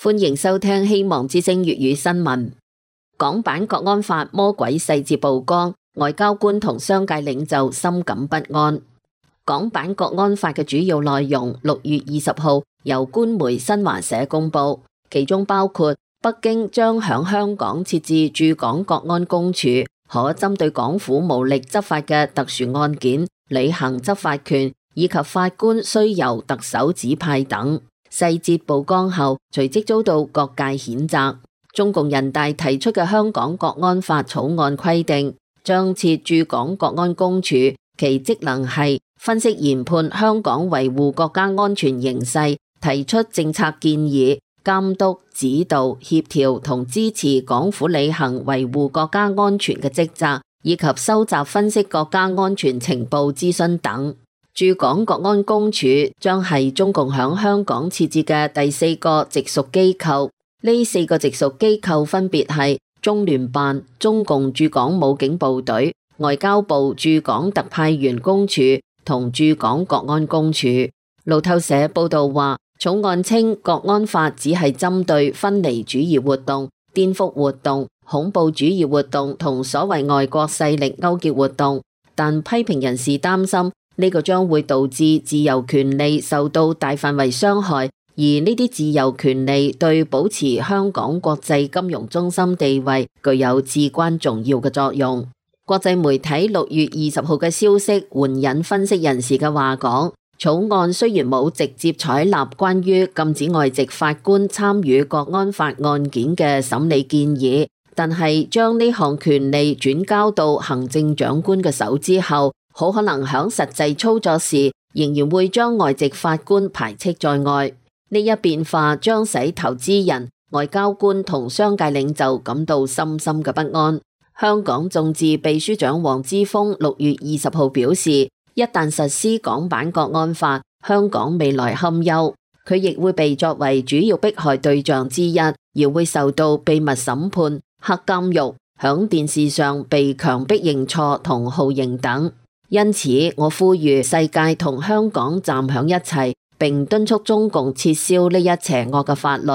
歡迎收聽希望之聲粵語新聞。港版國安法魔鬼細節曝光，外交官同商界領袖深感不安。港版國安法嘅主要內容6月20號由官媒新華社公布，其中包括北京將響香港設置駐港國安公署，可針對港府無力執法嘅特殊案件履行執法權，以及法官須由特首指派等。細節曝光後，隨即遭到各界譴責。中共人大提出嘅香港國安法草案規定，將設駐港國安公署，其職能係分析研判香港維護國家安全形勢，提出政策建議，監督、指導、協調同支持港府履行維護國家安全嘅職責，以及收集分析國家安全情報諮詢等。駐港國安公署將係中共響香港設置嘅第4個直屬機構，呢4個直屬機構分別係中聯辦、中共駐港武警部隊、外交部駐港特派員公署同駐港國安公署。路透社報道話，草案稱國安法只係針對分離主義活動、顛覆活動、恐怖主義活動同所謂外國勢力勾結活動，但批評人士擔心呢個將會導致自由權利受到大範圍傷害，而呢啲自由權利對保持香港國際金融中心地位具有至關重要嘅作用。國際媒體6月20號嘅消息援引分析人士嘅話講，草案雖然冇直接採納關於禁止外籍法官參與國安法案件嘅審理建議，但係將呢項權利轉交到行政長官嘅手之後，好可能響實際操作時仍然會將外籍法官排斥在外。呢一變化將使投資人、外交官同商界領袖感到深深嘅不安。香港眾志秘書長黃之鋒6月20號表示，一旦實施港版國安法，香港未來堪憂。佢亦會被作為主要迫害對象之一，而會受到秘密審判、黑監獄、響電視上被強迫認錯同酷刑等。因此，我呼籲世界同香港站響一齊，並敦促中共撤銷呢一邪惡嘅法律。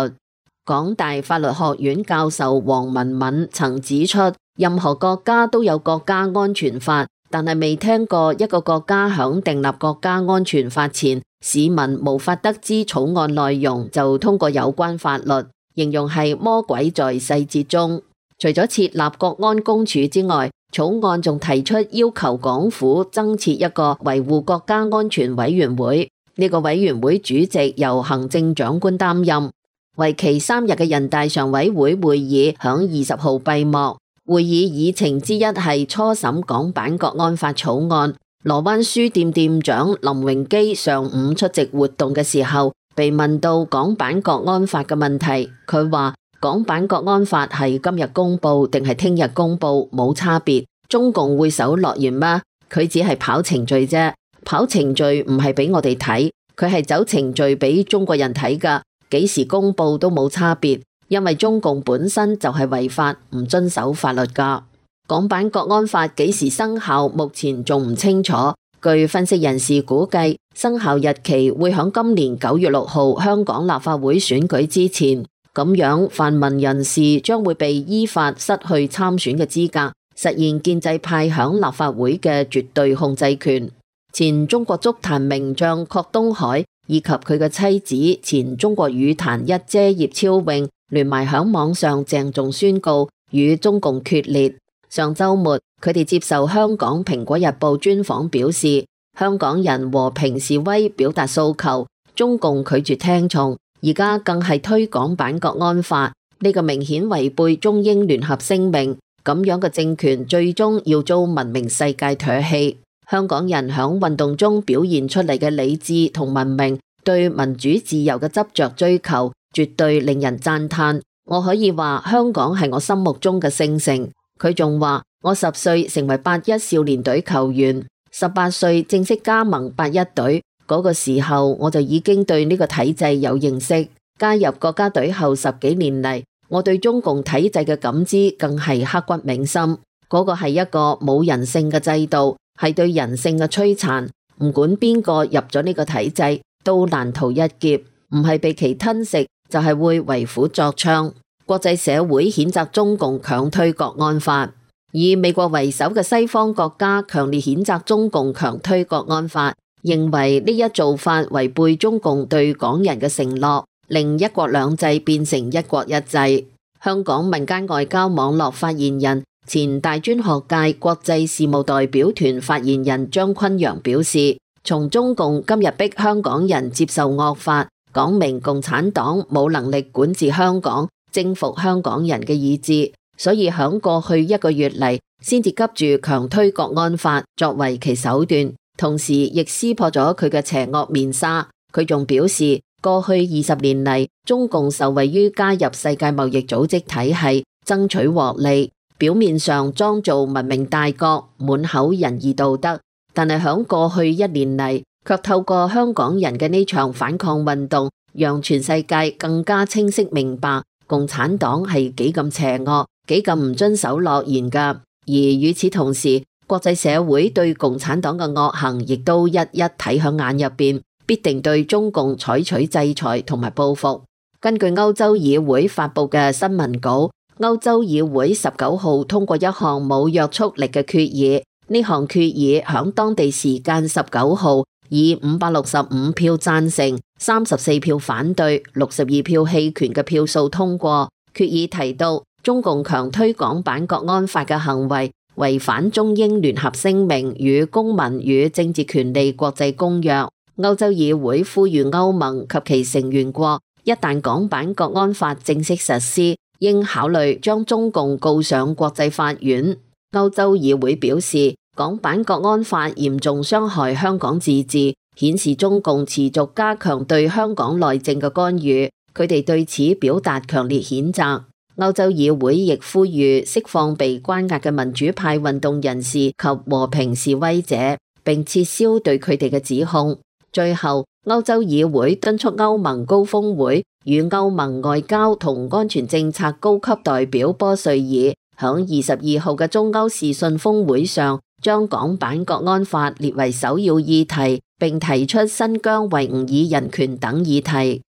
港大法律學院教授黃文敏曾指出，任何國家都有國家安全法，但係未聽過一個國家響訂立國家安全法前，市民無法得知草案內容就通過有關法律，形容係魔鬼在細節中。除咗設立國安公署之外，草案仲提出要求港府增設一個維護國家安全委員會，呢個委員會主席由行政長官擔任。為期3日嘅人大常委會會議響20號閉幕，會議議程之一係初審港版國安法草案。羅灣書店店長林榮基上午出席活動嘅時候，被問到港版國安法嘅問題，佢話港版國安法係今日公布定係聽日公布冇差別，中共會守諾言咩？佢只係跑程序啫，跑程序唔係俾我哋睇，佢係走程序俾中國人睇噶，幾時公布都冇差別，因為中共本身就係違法，唔遵守法律噶。港版國安法幾時生效，目前仲唔清楚。據分析人士估計，生效日期會響今年9月6號香港立法會選舉之前。咁樣泛民人士將會被依法失去參選嘅資格，實現建制派響立法會嘅絕對控制權。前中國足壇名將郝東海以及佢嘅妻子前中國羽壇一姐葉超穎聯埋響網上鄭重宣告與中共決裂。上週末，佢哋接受香港蘋果日報專訪表示，香港人和平示威表達訴求，中共拒絕聽從。而家更係推港版國安法，呢個明顯違背中英聯合聲明，咁樣嘅政權最終要遭文明世界唾棄。香港人響運動中表現出嚟嘅理智同文明，對民主自由嘅執着追求，絕對令人讚嘆。我可以話香港係我心目中嘅聖城。佢仲話，我10歲成為81少年隊球員，18歲正式加盟81隊。嗰個時候我就已經對呢個體制有認識，加入國家隊後10幾年嚟，我對中共體制嘅感知更係刻骨銘心。嗰個係一個冇人性嘅制度，係對人性嘅摧殘。唔管邊個入咗呢個體制，都難逃一劫，唔係被其吞食，就係會為虎作倀。國際社會譴責中共強推國安法，以美國為首嘅西方國家強烈譴責中共強推國安法，認為呢一做法違背中共對港人嘅承諾，令一國兩制變成一國一制。香港民間外交網絡發言人、前大專學界國際事務代表團發言人張崑陽表示，從中共今日逼香港人接受惡法，講明共產黨冇能力管治香港、征服香港人嘅意志，所以響過去1個月嚟，先至急住強推國安法作為其手段，同時亦撕破咗佢嘅邪惡面紗。佢仲表示，過去20年嚟，中共受惠於加入世界貿易組織體系，爭取獲利，表面上裝做文明大國，滿口仁義道德，但係響過去1年嚟，卻透過香港人嘅呢場反抗運動，讓全世界更加清晰明白共產黨係幾咁邪惡，幾咁唔遵守諾言㗎。而與此同時，國際社會對共產黨嘅惡行亦都一一睇響眼入邊，必定對中共採取制裁同埋報復。根據歐洲議會發佈嘅新聞稿，歐洲議會19號通過一項冇約束力嘅決議。呢項決議響當地時間19號以565票贊成、34票反對、62票棄權嘅票數通過。決議提到，中共強推港版國安法嘅行為違反中英聯合聲明與公民與政治權利國際公約。歐洲議會呼籲歐盟及其成員國，一旦港版國安法正式實施，應考慮將中共告上國際法院。歐洲議會表示，港版國安法嚴重傷害香港自治，顯示中共持續加強對香港內政嘅干預，佢哋對此表達強烈譴責。歐洲議會亦呼籲釋放被關押嘅民主派運動人士及和平示威者，並撤銷對佢哋嘅指控。最後，歐洲議會敦促歐盟高峰會與歐盟外交同安全政策高級代表波瑞爾響22號嘅中歐視訊峰會上，將港版國安法列為首要議題，並提出新疆維吾爾人權等議題。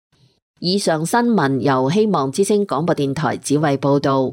以上新聞由希望之聲廣播電台子慧報道。